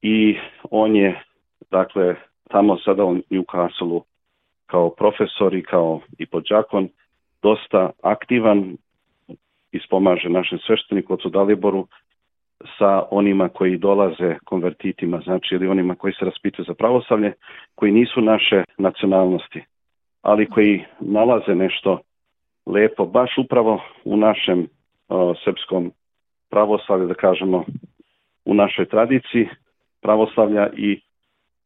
i on je dakle tamo sada u Newcastle kao profesor i kao i podžakon dosta aktivan, ispomaže našem svešteniku ocu Daliboru sa onima koji dolaze konvertitima, znači ili onima koji se raspituju za pravoslavlje, koji nisu naše nacionalnosti, ali koji nalaze nešto lepo baš upravo u našem o, srpskom pravoslavlju, da kažemo u našoj tradiciji pravoslavlja, i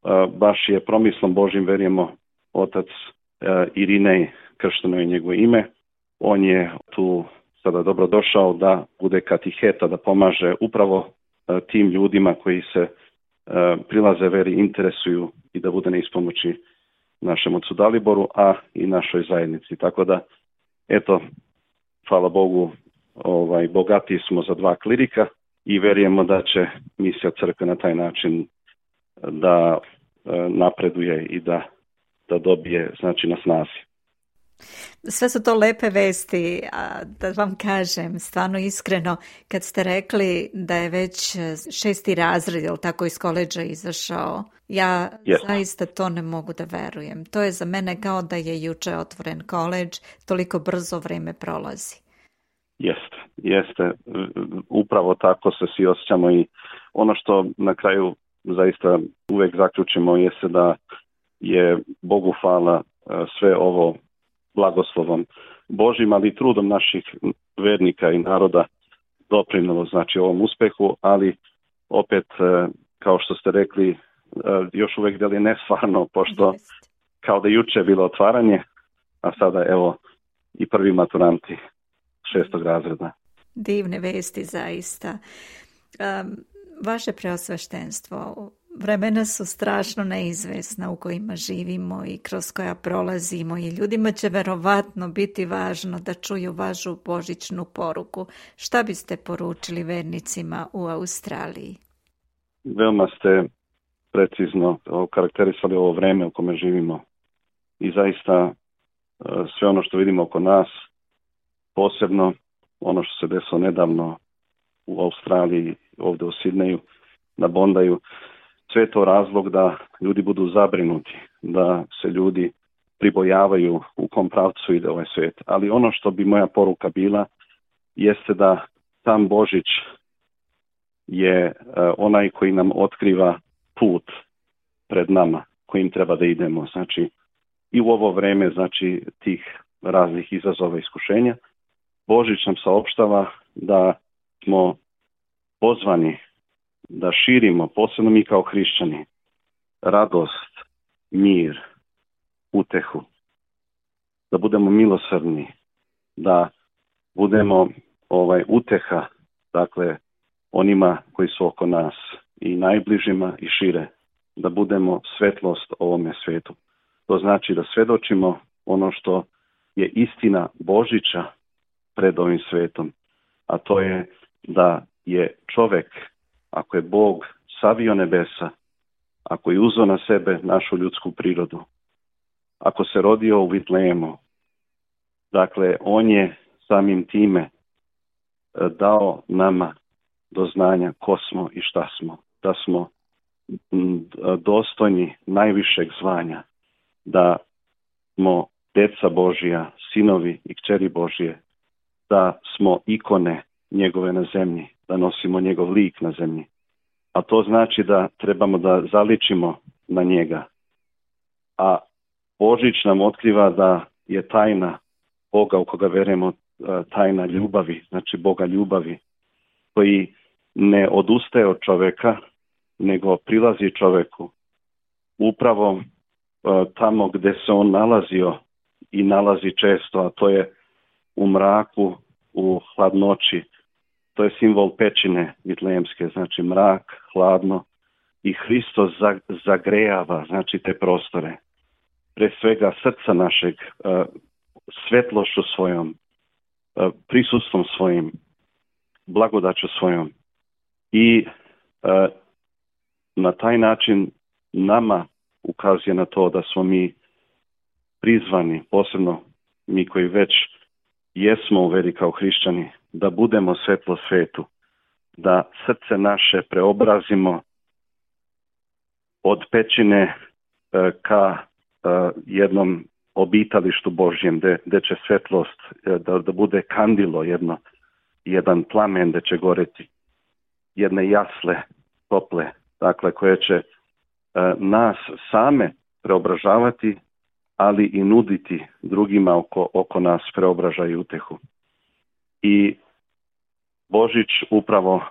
o, baš je promislom Božim, verujemo, otac o, Irinej, kršteno je njegovo ime. On je tu sada dobro došao da bude katiheta, da pomaže upravo o, tim ljudima koji se o, prilaze veri, interesuju, i da bude na ispomoći našem ocu Daliboru, a i našoj zajednici. Tako da, eto, hvala Bogu, ovaj, bogati smo za dva klirika i verujemo da će misija crkve na taj način da e, napreduje i da, da dobije, znači, na snazi. Sve su to lepe vesti, a da vam kažem, stvarno iskreno, kad ste rekli da je već šesti razred, jel tako, iz koledža izašao, ja yes. zaista to ne mogu da verujem. To je za mene kao da je juče otvoren koledž, toliko brzo vrijeme prolazi. Jeste, jeste. Upravo tako se svi osjećamo, i ono što na kraju zaista uvek zaključimo jeste da je Bogu hvala sve ovo blagoslovom Božim, ali i trudom naših vernika i naroda doprinelo, znači, ovom uspehu, ali opet, kao što ste rekli, još uvek da li je nestvarno, pošto kao da juče bilo otvaranje, a sada evo i prvi maturanti šestog razreda. Divne vesti zaista. Um, vaše preosveštenstvo, vremena su strašno neizvesna u kojima živimo i kroz koja prolazimo, i ljudima će verovatno biti važno da čuju vašu božićnu poruku. Šta biste poručili vernicima u Australiji? Veoma ste precizno karakterisali ovo vreme u kome živimo, i zaista sve ono što vidimo oko nas, posebno ono što se desilo nedavno u Australiji, ovdje u Sidneju, na Bondaju, sve je to razlog da ljudi budu zabrinuti, da se ljudi pribojavaju u kom pravcu ide ovaj svijet. Ali ono što bi moja poruka bila jeste da sam Božić je uh, onaj koji nam otkriva put pred nama, kojim treba da idemo. Znači, i u ovo vreme, znači, tih raznih izazova i iskušenja, Božić nam saopštava da smo pozvani da širimo, posebno mi kao hrišćani, radost, mir, utehu, da budemo milosrdni, da budemo ovaj uteha, dakle, onima koji su oko nas, i najbližima i šire, da budemo svetlost ovome svetu. To znači da svedočimo ono što je istina Božića pred ovim svetom, a to je da je čovek, ako je Bog savio nebesa, ako je uzeo na sebe našu ljudsku prirodu, ako se rodio u Vitlejemu, dakle, on je samim time dao nama do znanja ko smo i šta smo, da smo dostojni najvišeg zvanja, da smo deca Božija, sinovi i kćeri Božije, da smo ikone njegove na zemlji, da nosimo njegov lik na zemlji. A to znači da trebamo da zaličimo na njega. A Božić nam otkriva da je tajna Boga u koga verujemo, tajna ljubavi, znači Boga ljubavi, koji ne odustaje od čoveka, nego prilazi čoveku upravo uh, tamo gde se on nalazio i nalazi često, a to je u mraku, u hladnoći. To je simbol pećine vitlejemske, znači mrak, hladno, i Hristos zagrejava, znači, te prostore. Pre svega srca našeg, uh, svetlošću svojom, uh, prisustvom svojim, blagodaću svojom. I uh, na taj način nama ukazuje na to da smo mi prizvani, posebno mi koji već jesmo u veri kao hrišćani, da budemo svetlo svetu, da srce naše preobrazimo od pećine uh, ka uh, jednom obitalištu Božjem, gde, gde će svetlost uh, da, da bude kandilo, jedno, jedan plamen gde će goreti, jedne jasle, tople, dakle, koje će uh, nas same preobražavati, ali i nuditi drugima oko, oko nas preobražaj i utehu. I Božić upravo uh,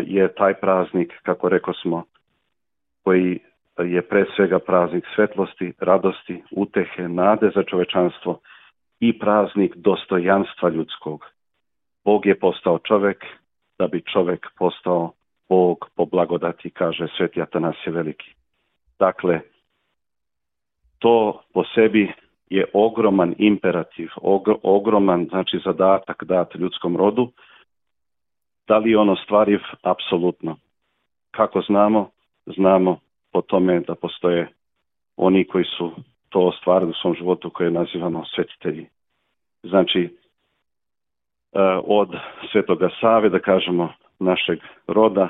je taj praznik, kako rekao smo, koji je pre svega praznik svetlosti, radosti, utehe, nade za čovečanstvo i praznik dostojanstva ljudskog. Bog je postao čovek da bi čovek postao Bog po blagodati, kaže Sveti Atanasije Veliki. Dakle, to po sebi je ogroman imperativ, ogr- ogroman, znači, zadatak dat ljudskom rodu. Da li je on ostvariv? Apsolutno. Kako znamo? Znamo po tome da postoje oni koji su to ostvarili u svom životu, koje nazivamo svetitelji. Znači, od Svetoga Save, da kažemo, našeg roda,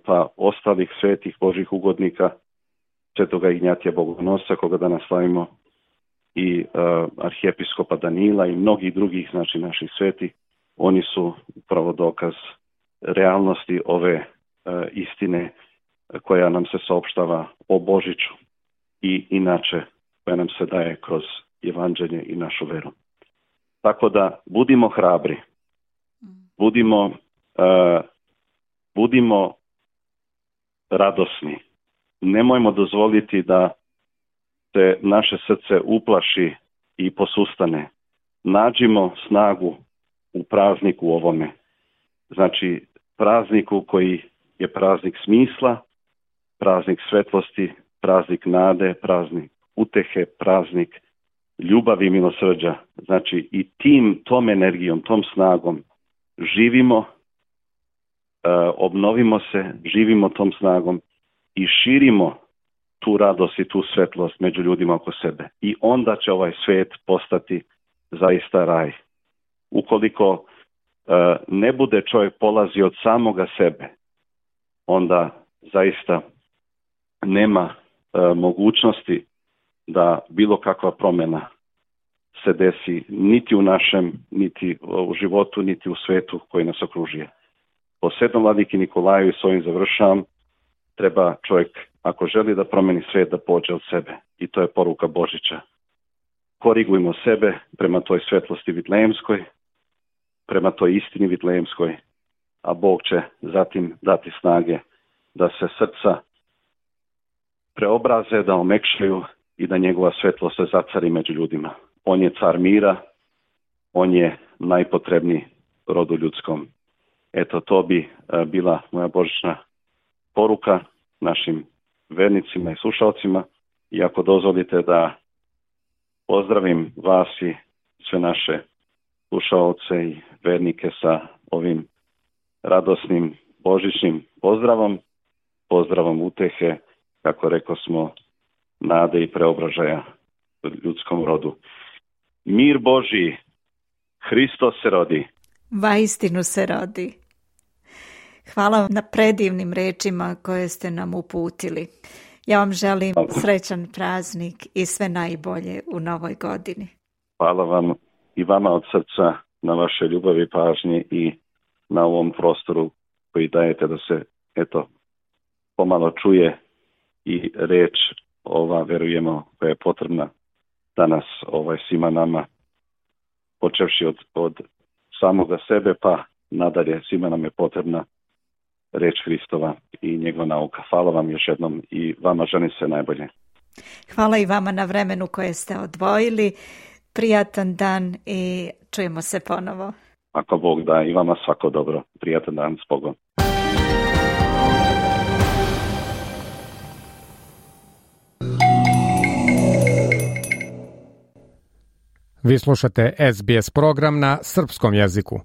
pa ostalih svetih Božih ugodnika, Svetoga Ignjatija Bogonosca, koga danas slavimo, i uh, arhijepiskopa Danila i mnogih drugih, znači, naših sveti, oni su upravo dokaz realnosti ove uh, istine koja nam se saopštava o Božiću i inače koja nam se daje kroz evanđelje i našu veru. Tako da budimo hrabri, budimo, uh, budimo radosni. Nemojmo dozvoliti da se naše srce uplaši i posustane. Nađimo snagu u prazniku ovome. Znači, prazniku koji je praznik smisla, praznik svetlosti, praznik nade, praznik utehe, praznik ljubavi i milosrđa. Znači, i tim, tom energijom, tom snagom živimo, uh, obnovimo se, živimo tom snagom i širimo tu radost i tu svetlost među ljudima oko sebe. I onda će ovaj svet postati zaista raj. Ukoliko uh, ne bude čovjek polazi od samoga sebe, onda zaista nema uh, mogućnosti da bilo kakva promjena se desi niti u našem, niti u životu, niti u svetu koji nas okružuje. Po Svetom vladiki Nikolaju, i s ovim završavam, treba čovjek, ako želi da promeni svijet, da pođe od sebe. I to je poruka Božića. Korigujmo sebe prema toj svetlosti vitlejemskoj, prema toj istini vitlejemskoj, a Bog će zatim dati snage da se srca preobraze, da omekšaju i da njegova svetlost se zacari među ljudima. On je car mira, on je najpotrebniji rodu ljudskom. Eto, to bi uh, bila moja božićna poruka našim vernicima i slušalcima. I ako dozvolite da pozdravim vas i sve naše slušalce i vernike sa ovim radosnim božićnim pozdravom, pozdravom utehe, kako rekao smo, nade i preobražaja ljudskom rodu. Mir Božji, Hristos se rodi. Vaistinu se rodi. Hvala vam na predivnim rečima koje ste nam uputili. Ja vam želim srećan praznik i sve najbolje u novoj godini. Hvala vam i vama od srca na vaše ljubavi i pažnji i na ovom prostoru koji dajete da se, eto, pomalo čuje i reč ova, verujemo, koja je potrebna danas ovaj, svima nama, počevši od, od samoga sebe pa nadalje, svima nam je potrebna reč Hristova i njegova nauka. Hvala vam još jednom i vama želim sve najbolje. Hvala i vama na vremenu koje ste odvojili. Prijatan dan i čujemo se ponovo. Ako Bog da, i vama svako dobro. Prijatan dan, s Bogom. Vi slušate S B S program na srpskom jeziku.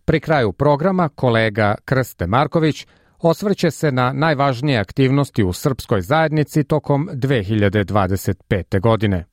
Pri kraju programa kolega Krste Marković osvrće se na najvažnije aktivnosti u srpskoj zajednici tokom dve hiljade dvadeset pete. godine.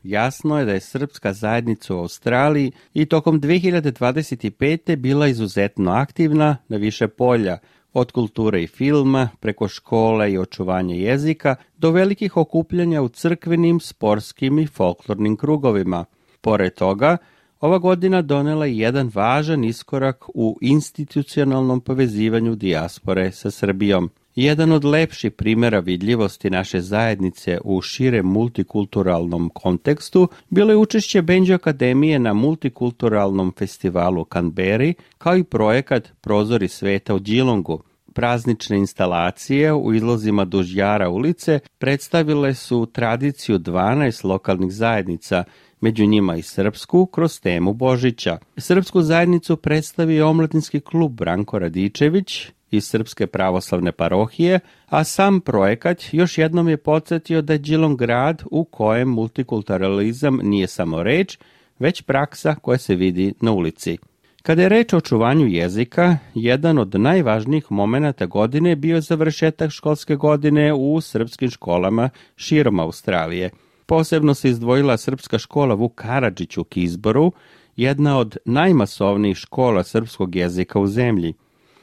Jasno je da je srpska zajednica u Australiji i tokom dve hiljade dvadeset pete. bila izuzetno aktivna na više polja, od kulture i filma, preko škole i očuvanja jezika, do velikih okupljanja u crkvenim, sportskim i folklornim krugovima. Pored toga, ova godina donela je jedan važan iskorak u institucionalnom povezivanju dijaspore sa Srbijom. Jedan od lepših primjera vidljivosti naše zajednice u širem multikulturalnom kontekstu bilo je učešće Benđe Akademije na multikulturalnom festivalu u Canberri, kao i projekat Prozori sveta u Geelongu. Praznične instalacije u izlozima duž Jara ulice predstavile su tradiciju dvanaest lokalnih zajednica, među njima i srpsku, kroz temu Božića. Srpsku zajednicu predstavi omladinski klub Branko Radičević iz Srpske pravoslavne parohije, a sam projekat još jednom je podsjetio da je Geelong grad u kojem multikulturalizam nije samo reč, već praksa koja se vidi na ulici. Kada je reč o očuvanju jezika, jedan od najvažnijih momenata godine bio završetak školske godine u srpskim školama širom Australije. Posebno se izdvojila srpska škola Vuk Karadžić u Kizboru, jedna od najmasovnijih škola srpskog jezika u zemlji.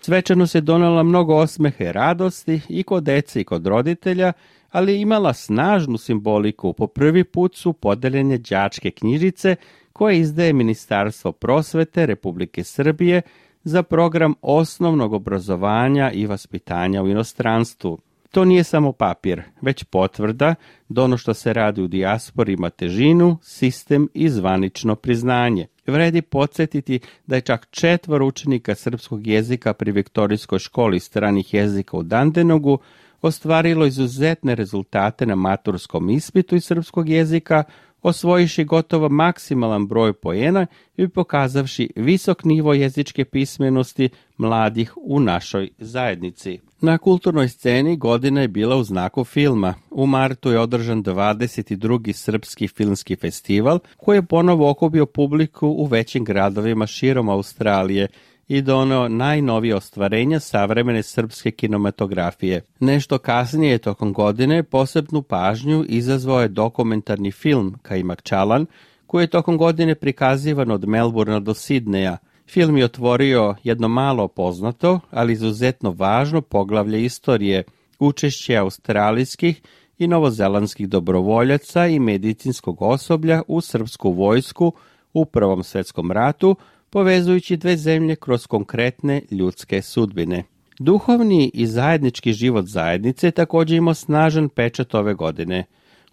Svečano se donela mnogo osmeha i radosti i kod dece i kod roditelja, ali je imala snažnu simboliku. Po prvi put su podeljene đačke knjižice koje izdaje Ministarstvo prosvete Republike Srbije za program osnovnog obrazovanja i vaspitanja u inostranstvu. To nije samo papir, već potvrda da ono što se radi u dijaspori ima težinu, sistem i zvanično priznanje. Vredi podsjetiti da je čak četvoro učenika srpskog jezika pri Viktorijskoj školi stranih jezika u Dandenogu ostvarilo izuzetne rezultate na maturskom ispitu iz srpskog jezika, osvojiši gotovo maksimalan broj poena i pokazavši visok nivo jezičke pismenosti mladih u našoj zajednici. Na kulturnoj sceni godina je bila u znaku filma. U martu je održan dvadeset drugi Srpski filmski festival koji je ponovo okupio publiku u većim gradovima širom Australije i doneo najnovije ostvarenja savremene srpske kinematografije. Nešto kasnije tokom godine posebnu pažnju izazvao je dokumentarni film Kaimak Čalan, koji je tokom godine prikazivan od Melburna do Sidneja. Film je otvorio jedno malo poznato, ali izuzetno važno poglavlje istorije, učešće australijskih i novozelandskih dobrovoljaca i medicinskog osoblja u srpsku vojsku u Prvom svjetskom ratu, povezujući dve zemlje kroz konkretne ljudske sudbine. Duhovni i zajednički život zajednice također imao snažan pečat ove godine.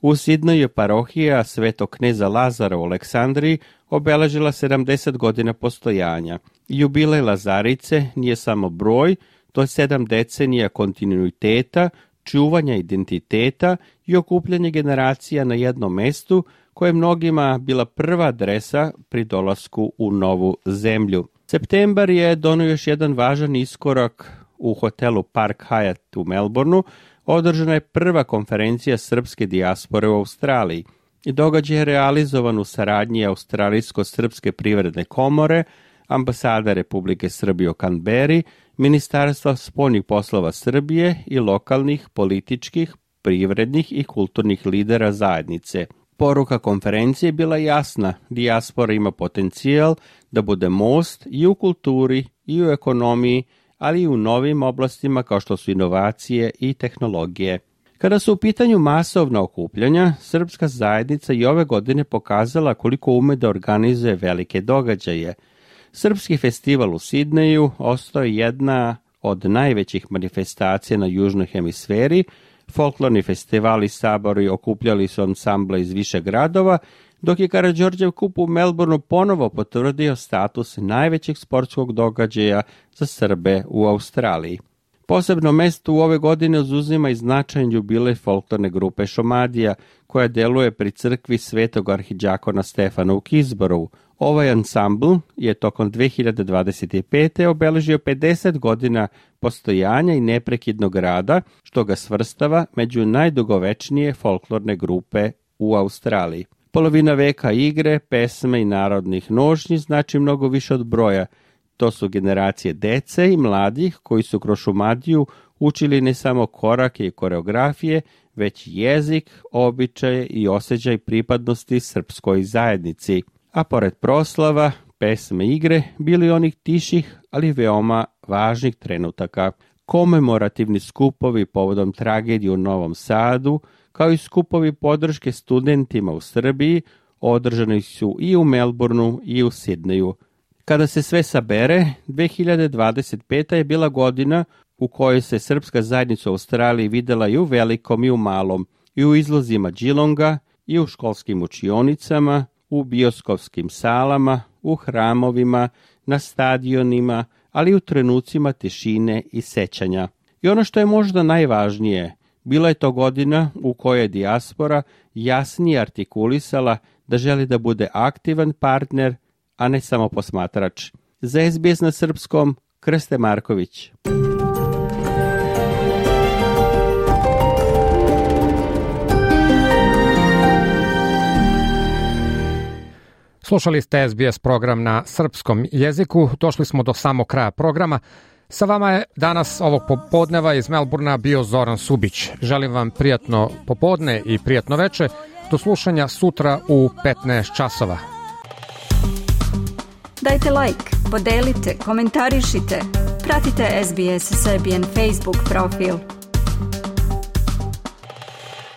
U Sidneju je parohija Svetog kneza Lazara u Aleksandriji obeležila sedamdeset godina postojanja. Jubilej Lazarice nije samo broj, to je sedam decenija kontinuiteta, čuvanja identiteta i okupljanje generacija na jednom mestu, koja je mnogima bila prva adresa pri dolasku u novu zemlju. Septembar je donio još jedan važan iskorak u hotelu Park Hyatt u Melbourneu. Održana je prva konferencija srpske dijaspore u Australiji. I događaj je realizovan u saradnji Australijsko-srpske privredne komore, ambasada Republike Srbije u Canberri, Ministarstva spoljnih poslova Srbije i lokalnih političkih, privrednih i kulturnih lidera zajednice. Poruka konferencije bila jasna, dijaspora ima potencijal da bude most i u kulturi, i u ekonomiji, ali i u novim oblastima kao što su inovacije i tehnologije. Kada su u pitanju masovna okupljanja, srpska zajednica i ove godine pokazala koliko ume da organizuje velike događaje. Srpski festival u Sidneju ostao je jedna od najvećih manifestacija na južnoj hemisferi. Folklorni festivali i sabori okupljali su ansamble iz više gradova, dok je Karađorđev kup u Melbourneu ponovo potvrdio status najvećeg sportskog događaja za Srbe u Australiji. Posebno mesto u ove godine uzuzima i značajan jubilej folklorne grupe Šomadija, koja deluje pri crkvi Svetog arhidžakona Stefana u Kisborovu. Ovaj ansambl je tokom dve hiljade dvadeset pete. obeležio pedeset godina postojanja i neprekidnog rada, što ga svrstava među najdugovečnije folklorne grupe u Australiji. Polovina veka igre, pesme i narodnih nošnji znači mnogo više od broja. To su generacije dece i mladih koji su kroz Šumadiju učili ne samo korake i koreografije, već jezik, običaje i osjećaj pripadnosti srpskoj zajednici. A pored proslava, pesme i igre bili onih tiših, ali veoma važnih trenutaka. Komemorativni skupovi povodom tragedije u Novom Sadu, kao i skupovi podrške studentima u Srbiji, održani su i u Melbourneu i u Sidneju. Kada se sve sabere, dve hiljade dvadeset peta. je bila godina u kojoj se srpska zajednica u Australiji videla i u velikom i u malom, i u izlozima Geelonga, i u školskim učionicama, u bioskopskim salama, u hramovima, na stadionima, ali i u trenucima tišine i sećanja. I ono što je možda najvažnije, bila je to godina u kojoj je dijaspora jasnije artikulisala da želi da bude aktivan partner, a ne samo posmatrač. Za es be es na srpskom, Krste Marković. Slušali ste es be es program na srpskom jeziku. Došli smo do samog kraja programa. Sa vama je danas ovog popodneva iz Melbournea bio Zoran Subić. Želim vam prijatno popodne i prijatno veče. Do slušanja sutra u petnaest časova. Dajte like, podelite, komentarišite. Pratite es be es Serbian Facebook profil.